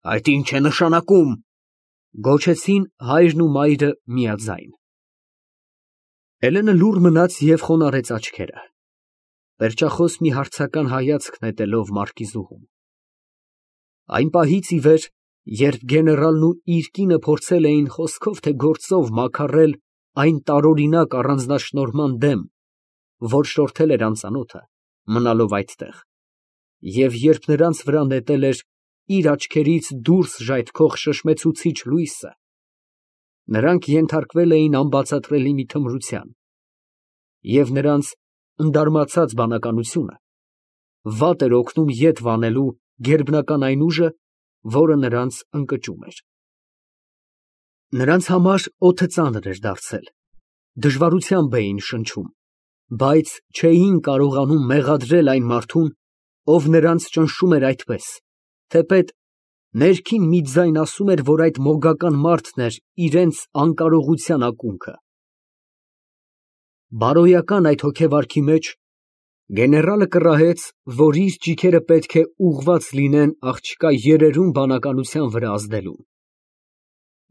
Այդ ինչ է նշանակում, գոչեցին հայրն ու մայրը միաձայն։ Էլենը լուռ մնաց և խոնարհեց աչքերը, պերճախոս մի հարցական հայացք նետելով մարկիզուհուն։ Այն պահից ի վեր, երբ գեներալն ու իր կինը փորձել էին խոսքով թե գործով մաքարել այն տարօրինակ առանձնաշնորհման դեմ, որ շորթել էր անծանոթը, մնալով այդտեղ, և երբ նրանց վրա նետել էր իր աչքերից դուրս ժայթքող շշմեցուցիչ լույսը, նրանք ենթարկվել էին անբացատրելի մի թմրության, և նրանց ընդարմացած բանականությունը վատ էր օգնում ետ վանելու գերբնական այն ուժը, որը նրանց ընկճում էր։ Նրանց համար օդը ծանր էր դարձել, դժվարությամբ էին շնչում, բայց չէին կարողանում մեղադրել այն մարդուն, ով նրանց ճնշում էր այդպես, թեպետ ներքին մի ձայն ասում էր, որ այդ մոգական մարդն էր իրենց անկարողության ակունքը։ Բարոյական այդ հոգեվարքի մեջ գեներալը կռահեց, որ իր ճիգերը պետք է ուղղված լինեն աղջկա երերուն բանականության վրա ազդելուն։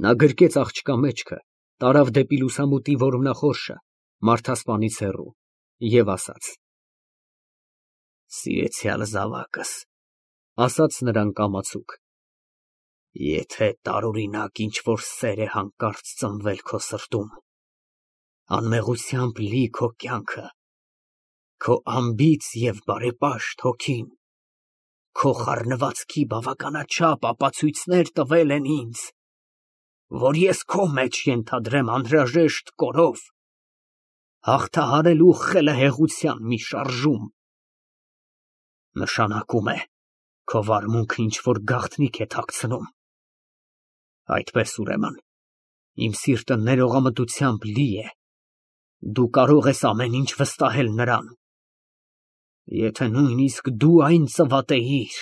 Նա գրկեց աղջկա մեջքը, տարավ դեպի լուսամուտի որմնախորշը, մարդասպանից հեռու, և ասաց. «Սիրեցյալ զավակս», ասաց նրան կամացուկ, «եթե տարօրինակ ինչ֊որ սեր է հանկարծ ծնվել քո սրտում, անմեղությամբ լի քո կյանքը, քո անբիծ և բարեպաշտ հոգին, քո խառնվածքի բավականաչափ ապացույցներ տվել են ինձ, որ ես քո մեջ ենթադրեմ անհրաժեշտ կորով, հաղթահարելու խելահեղության մի շարժում, նշանակում է, քո վարմունքը ինչ֊որ գաղտնիք է թաքցնում։ Այդպես ուրեմն, իմ սիրտը ներողամտությամբ լի է, դու կարող ես ամեն ինչ վստահել նրան։ Եթե նույնիսկ դու այն ծվատեիր,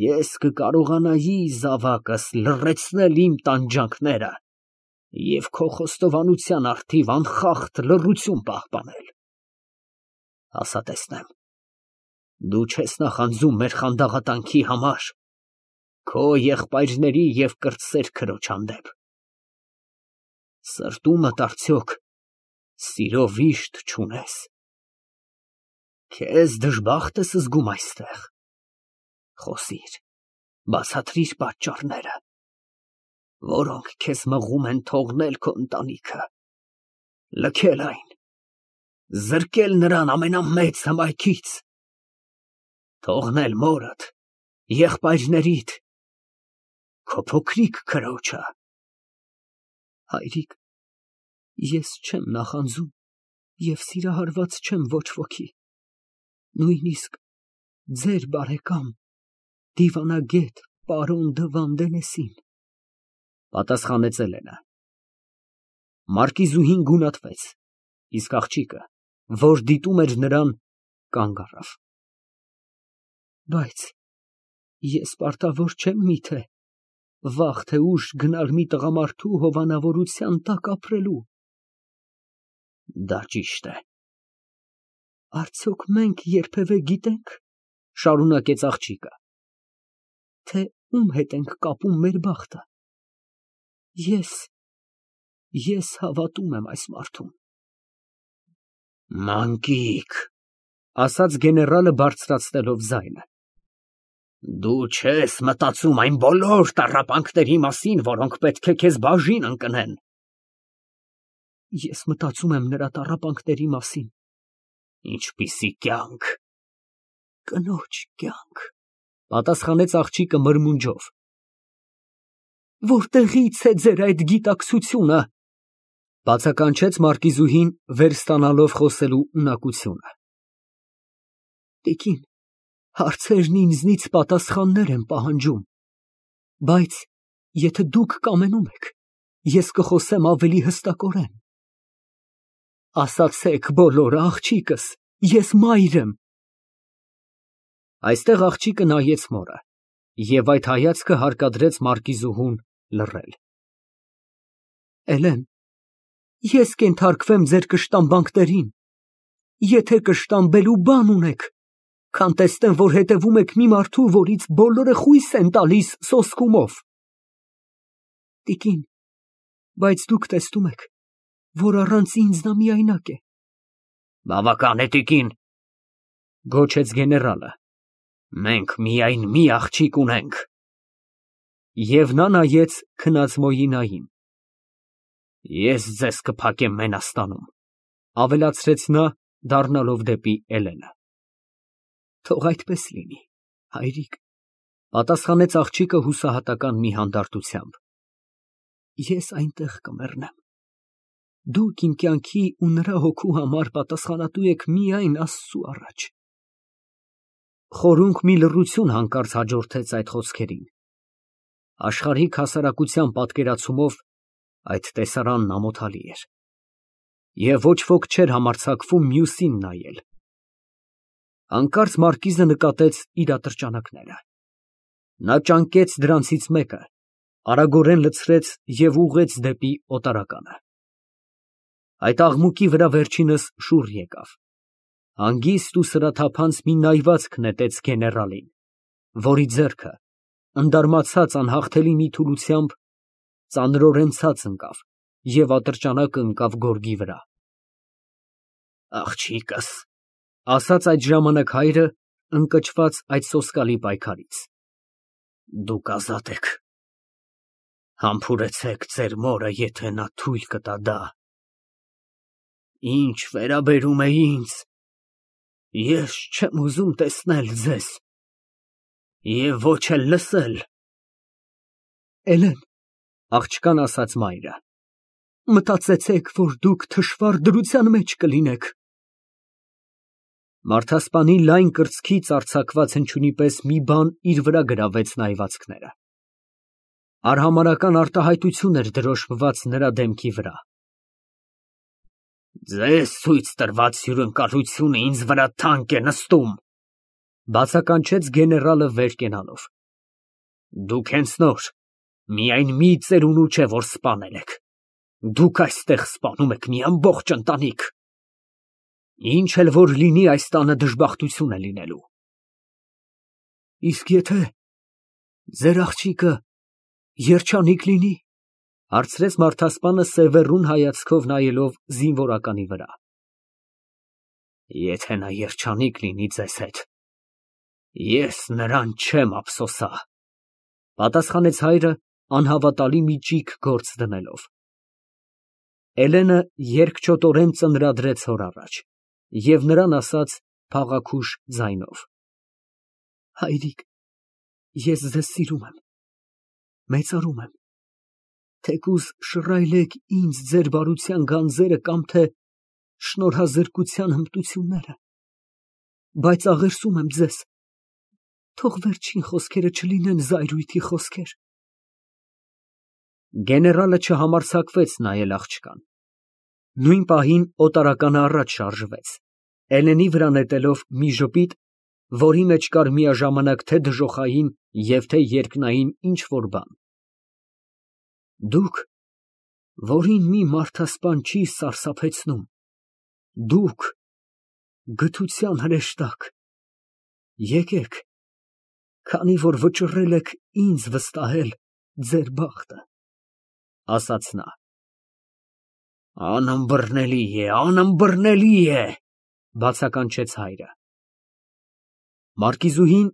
ես կկարողանայի, զավակս, լռեցնել իմ տանջանքները և քո խոստովանության առթիվ անխախտ լռություն պահպանել։ Ասա տեսնեմ, դու չես նախանձում մեր խանդաղատանքի համար քո եղբայրների և կրտսեր քրոջ հանդեպ։ Սրտումդ արդյոք սիրո վիշտ չունես։ Քեզ դժբախտ ես զգում այստեղ։ Խոսիր, բացատրիր պատճառները, որոնք քեզ մղում են թողնել քո ընտանիքը, լքել այն, զրկել նրան ամենամեծ հմայքից, թողնել մորդ, եղբայրներիդ, քո փոքրիկ քրոջը։ Հայրիկ, ես չեմ նախանձում և սիրահարված չեմ ոչ ոքի, նույնիսկ ձեր բարեկամ, դիվանագետ պարոն դը Վանդենեսին, պատասխանեց Էլենը։ Մարկիզուհին գունատվեց, իսկ աղջիկը, որ դիտում էր նրան, կանգ առավ։ Բայց ես պարտավոր չեմ միթե վաղ թե ուշ գնալ մի տղամարդու հովանավորության տակ ապրելու։ Դա ճիշտ է։ Արդյոք մենք երբևէ գիտենք, շարունակեց աղջիկը, թե ում հետ ենք կապում մեր բախտը։ Ես հավատում եմ այս մարդուն։ Մանկիկ, ասաց գեներալը բարձրացնելով ձայնը, դու չես մտածում այն բոլոր տառապանքների մասին, որոնք պետք է քեզ բաժին ընկնեն։ Ես մտածում եմ նրա տառապանքների մասին։ Ինչպիսի կյանք։ Կնոջ կյանք, պատասխանեց աղջիկը մրմունջով։ Որտեղի՞ց է ձեր այդ գիտակցությունը, բացականչեց մարկիզուհին, վերստանալով խոսելու ունակությունը։ Տիկին, հարցերն ինձնից պատասխաններ են պահանջում, բայց եթե դուք կամենում եք, ես կխոսեմ ավելի հստակորեն։ Ասացեք բոլորը, աղջիկս, ես մայր եմ։ Այստեղ աղջիկը նայեց մորը, և այդ հայացքը հարկադրեց մարկիզուհուն լռել։ Էլեն, ես կենթարկվեմ ձեր կշտամբանքներին, եթե կշտամբելու բան ունեք, քան տեսնեմ, որ հետևում եք մի մարդու, որից բոլորը խույս են տալիս սոսկումով։ Տիկին, բայց դուք տեսնում եք, որ առանց ինձ նա միայնակ է։ Բավական է, տիկին, Գոչեց գեներալը։ մենք միայն մի աղջիկ ունենք։ Եվ նա նայեց քնած Մոյինային։ Ես ձեզ կփակեմ Մենաստանում։ Ավելացրեց նա, դառնալով դեպի Էլենը։ Թող այդպես լինի, հայրիկ, պատասխանեց աղջիկը հուսահատական մի հանդարտությամբ։ Ես այնտեղ կմեռնեմ։ Դուք իմ կյանքի ու նրա հոգու համար պատասխանատու եք միայն Աստծու առաջ։ Խորունկ մի լռություն հանկարծ հաջորդեց այդ խոսքերին։ Աշխարհիկ հասարակության պատկերացումով այդ տեսարանն ամոթալի էր։ Եվ ոչ ոք չէր համարձակվում մյուսին նայել։ Հանկարծ մարկիզը նկատեց իր ատրճանակները։ Նա ճանկեց դրանցից մեկը, արագորեն լցրեց և ուղղեց դեպի օտարականը։ Այդ աղմուկի վրա վերջինս շուռ եկավ։ Հանգիստ ու սրաթափանց մի նայվածք նետեց գեներալին, որի ձեռքը, ընդարմացած անհաղթելի մի թուլությամբ, ծանրորեն ցած ընկավ և ատրճանակը ընկավ գորգի վրա։ Աղջիկս, ասաց այդ ժամանակ հայրը, ընկճված այդ սոսկալի պայքարից։ Դուք ազատ եք։ Համբուրեցեք ձեր մորը, եթե նա թույլ կտա դա։ Ինչ վերաբերում է ինձ, ես չեմ ուզում տեսնել ձեզ և ոչ էլ լսել։ Էլեն, աղջկան ասաց մայրը, մտածեցեք, որ դուք թշվառ դրության մեջ կլինեք։ Մարդասպանի լայն կրծքից արձակված հնչյունի պես մի բան իր վրա գրավեց նայվածքները։ Արհամարհական արտահայտություն էր դրոշմված նրա դեմքի վրա։ Ձեզ ցույց տրված հյուրընկալությունը ինձ վրա թանկ է նստում, բացականչեց գեներալը վեր կենալով։ Դուք հենց նոր, միայն մի ծերունու չէ, որ սպանել եք։ Դուք այստեղ սպանում եք մի ամբողջ ընտանիք։ Ինչ էլ որ լինի, այս տանը դժբախտություն է լինելու։ Իսկ եթե ձեր աղջիկը երջանիկ լինի, հարցրեց մարդասպանը սևեռուն հայացքով նայելով զինվորականի վրա։ Եթե նա երջանիկ լինի ձեզ հետ, ես նրան չեմ ափսոսա, պատասխանեց հայրը անհավատալի մի ճիգ գործ դնելով։ Էլենը երկչոտորեն ծնրադրեց հոր առաջ և նրան ասաց փաղաքուշ ձայնով. Հայրիկ, ես ձեզ սիրում եմ, մեծարում եմ, թեկուզ շռայլեք ինձ ձեր բարության գանձերը կամ թե շնորհազրկության հմտությունները, բայց աղերսում եմ ձեզ, թող վերջին խոսքերը չլինեն զայրույթի խոսքեր։ Գեներալը չհամարձակվեց նայել աղջկան։ Նույն պահին օտարականը առաջ շարժվեց, Էլենի վրա նետելով մի ժպիտ, որի մեջ կար միաժամանակ թե դժոխային և թե երկնային ինչ֊որ բան։ Դուք, որին մի մարդասպան չի սարսափեցնում, դուք, գթության հրեշտակ, եկեք, քանի որ վճռել եք ինձ վստահել ձեր բախտը, ասաց նա։ Անըմբռնելի է, բացականչեց հայրը։ Մարկիզուհին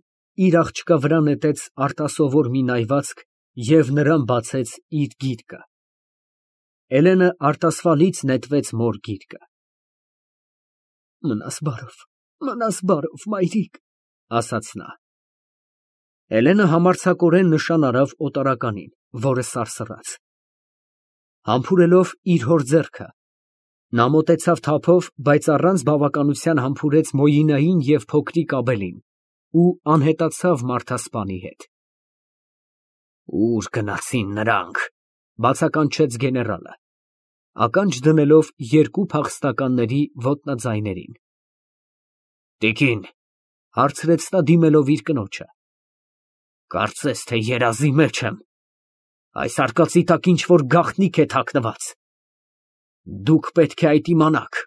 իր աղջկա վրա նետեց արտասովոր մի նայվածք և նրան բացեց իր գիրկը։ Էլենը արտասվալից նետվեց մոր գիրկը։ Մնաս բարով, մայրիկ, ասաց նա։ Էլենը համարձակորեն նշան արավ օտարականին, որը սարսռաց։ Համբուրելով իր հոր ձեռքը, նա մոտեցավ թափով, բայց առանց բավականության համբուրեց Մոյինային և փոքրիկ Աբելին ու անհետացավ մարդասպանի հետ։ Ուր գնացին նրանք, բացականչեց գեներալը, ականջ դնելով երկու փախստականների ոտնաձայներին։ Տիկին, հարցրեց նա դիմելով իր կնոջը։ Կարծես թե երազի մեջ եմ, այս արկածի տակ ինչ-որ գաղտնիք է թաքնված։ Դուք պետք է այդ իմանաք։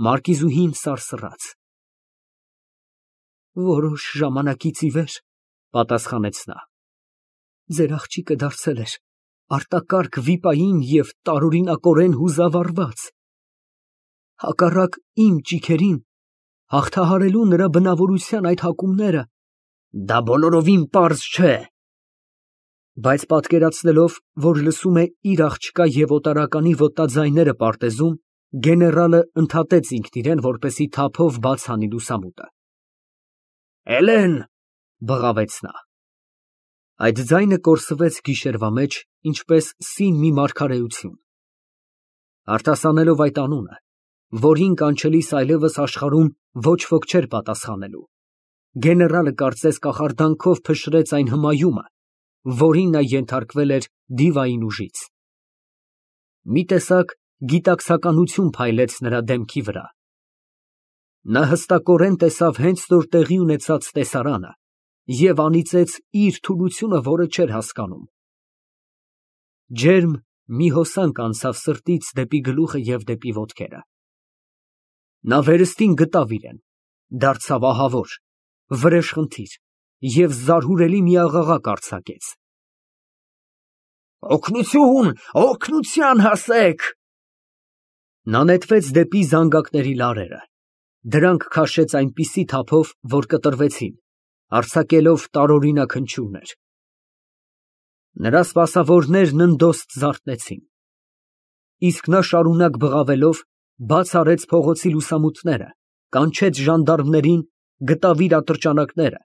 Մարկիզուհին սարսռաց։ Որոշ ժամանակից ի վեր, պատասխանեց նա, ձեր աղջիկը դարձել էր արտակարգ վիպային և տարօրինակորեն հուզավարված։ Հակառակ իմ ճիգերին հաղթահարելու նրա բնավորության այդ հակումները, Դա բոլորովին պարզ չէ։ բայց պատկերացնելով, որ լսում է իր աղջկա և օտարականի ոտնաձայները պարտեզում, գեներալը ընդհատեց ինքն իրեն, որպեսզի թափով բաց հանի լուսամուտը։ Էլեն, Բղավեց նա։ Այդ ձայնը կորսվեց գիշերվա մեջ, ինչպես սին մի մարգարեություն։ Արտասանելով այդ անունը, որին կանչելիս այլևս աշխարհում ոչ ոք չէր պատասխանելու, գեներալը կարծես կախարդանքով փշրեց այն հմայումը, որին նա ենթարկվել էր դիվային ուժից։ Մի տեսակ գիտակցականություն փայլեց նրա դեմքի վրա։ Նա հստակորեն տեսավ հենց նոր տեղի ունեցած տեսարանը և անիծեց իր թուլությունը, որը չէր հասկանում։ Ջերմ մի հոսանք անցավ սրտից դեպի գլուխը և դեպի ոտքերը։ Նա վերստին գտավ իրեն, դարձավ ահավոր, վրեժխնդիր և զարհուրելի մի աղաղակ արձակեց. օգնություն, օգնության հասեք։ Նա նետվեց դեպի զանգակների լարերը, դրանք քաշեց այնպիսի թափով, որ կտրվեցին, արձակելով տարօրինակ հնչյուններ։ Նրա սպասավորներն ընդոստ զարթնեցին, իսկ նա շարունակ բղավելով բաց արեց փողոցի լուսամուտները, կանչեց ժանդարմներին, գտավ իր ատրճանակները,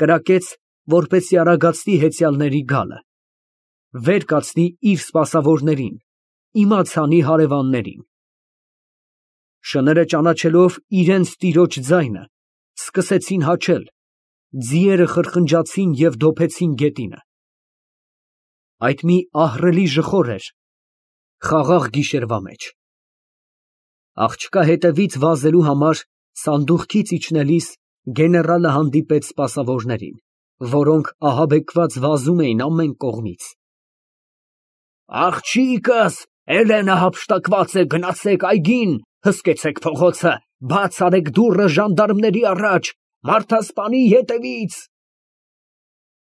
կրակեց, որպեսզի արագացնի հեծյալների գալը, վեր կացնի իր սպասավորներին, իմաց հանի հարևաններին։ Շները ճանաչելով իրենց տիրոջ ձայնը, սկսեցին հաչել, ձիերը խրխնջացին և դոփեցին գետինը։ Այդ մի ահռելի ժխոր էր խաղաղ գիշերվա մեջ։ Աղջկա հետևից վազելու համար սանդուղքից իջնելիս գեներալը հանդիպեց սպասավորներին, որոնք ահաբեկված վազում էին ամեն կողմից։ Աղջիկս, Էլենը հափշտակված է, գնացեք այգին, հսկեցեք փողոցը, բաց արեք դուռը ժանդարմների առաջ, մարդասպանի ետևից։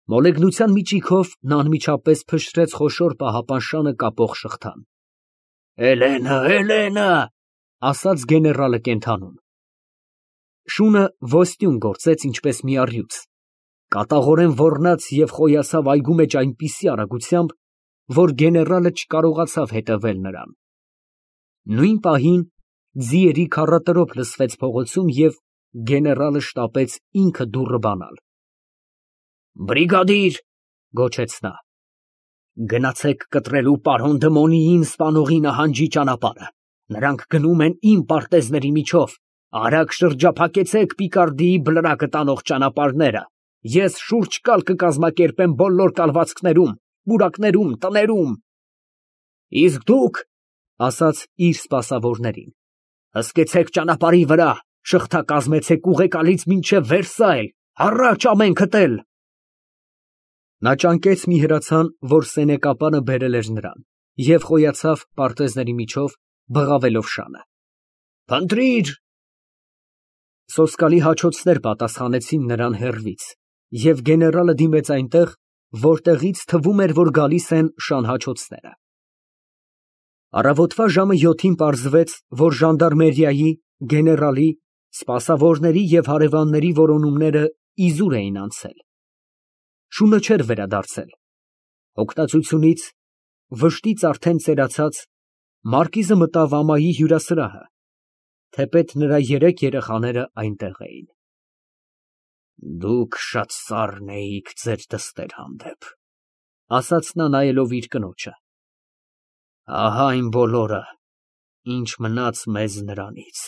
Մոլեգնության միջիքով նա անմիջապես փշրեց խոշոր պահապան կապող շղթան։ Էլենը, Էլենը, ասաց գեներալը կենդանուն։ Շունը ոստյուն գործեց ինչպես մի առյուծ, կատաղորեն ոռնաց և խոյացավ այգու մեջ այնպիսի արագությամբ, որ գեներալը չկարողացավ հետևել նրան։ Նույն պահին ձիերի քառատրոփ լսվեց փողոցում և գեներալը շտապեց ինքը դուռը բանալ։ Բրիգադիր, Գոչեց նա։ գնացեք կտրելու պարոն Դմոնիին սպանողի նահանջի ճանապարհը։ Նրանք գնում են իմ պարտեզների միջով, արագ շրջափակեցեք Պիկարդիի բլրակը տանող ճանապարհները։ Ես շուրջ կալ կկազմակերպեմ բոլոր կալվածքներում, պուրակներում, տներում։ Իսկ դուք, ասաց իր սպասավորներին, հսկեցեք ճանապարհի վրա, շղթա կազմեցեք ուղեկալից մինչև Վերսայլ, առաջ ամենքդ էլ։ Նա ճանկեց մի հրացան, որ սենեկապանը բերել էր նրան, և խոյացավ պարտեզների միջով, բղավելով շանը։ Փնտրիր։ Սոսկալի հաչոցներ պատասխանեցին նրան հեռվից, և գեներալը դիմեց այնտեղ, որտեղից թվում էր, որ գալիս են շան հաչոցները։ Առավոտվա ժամը 7-ին պարզվեց, որ ժանդարմերիայի, գեներալի, սպասավորների և հարևանների որոնումները իզուր էին անցել։ Շունը չէր վերադարձել։ Հոգնածությունից, վշտից արդեն ծերացած, մարկիզը մտավ ամայի հյուրասրահը, թեպետ նրա 3 երեխաները այնտեղ էին։ Դուք շատ սառն էիք ձեր դստեր հանդեպ, ասաց նա նայելով իր կնոջը։ Ահա այն բոլորը, ինչ մնաց մեզ նրանից,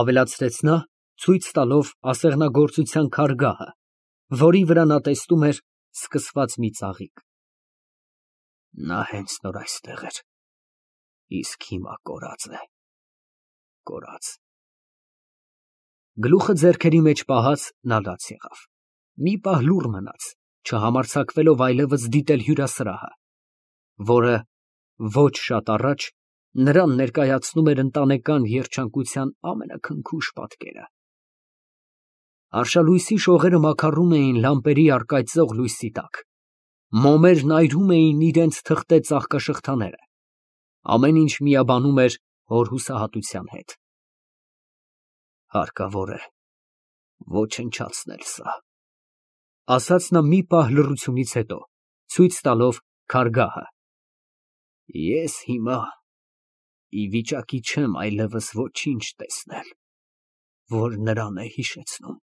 ավելացրեց նա, ցույց տալով ասեղնագործության քարգահը, որի վրա նա տեսնում էր սկսված մի ծաղիկ։ Նա հենց նոր այստեղ էր, իսկ հիմա կորած է, կորած։ Գլուխը ձեռքերի մեջ պահած նա լաց եղավ։ Մի պահ լուռ մնաց, չհամարձակվելով այլևս դիտել հյուրասրահը, որը ոչ շատ առաջ նրան ներկայացնում էր ընտանեկան երջանկության ամենաքնքուշ պատկերը։ Արշալույսի շողերը մաքարում էին լամպերի առկայծող լույսի տակ, մոմերն այրում էին իրենց թղթե ծաղկաշղթաները, ամեն ինչ միաբանում էր հոր հուսահատության հետ։ Հարկավոր է ոչնչացնել սա, ասաց նա մի պահ լռությունից հետո, ցույց տալով քարգահը։ Ես հիմա ի վիճակի չեմ այլևս ոչինչ տեսնել, որ նրան է հիշեցնում։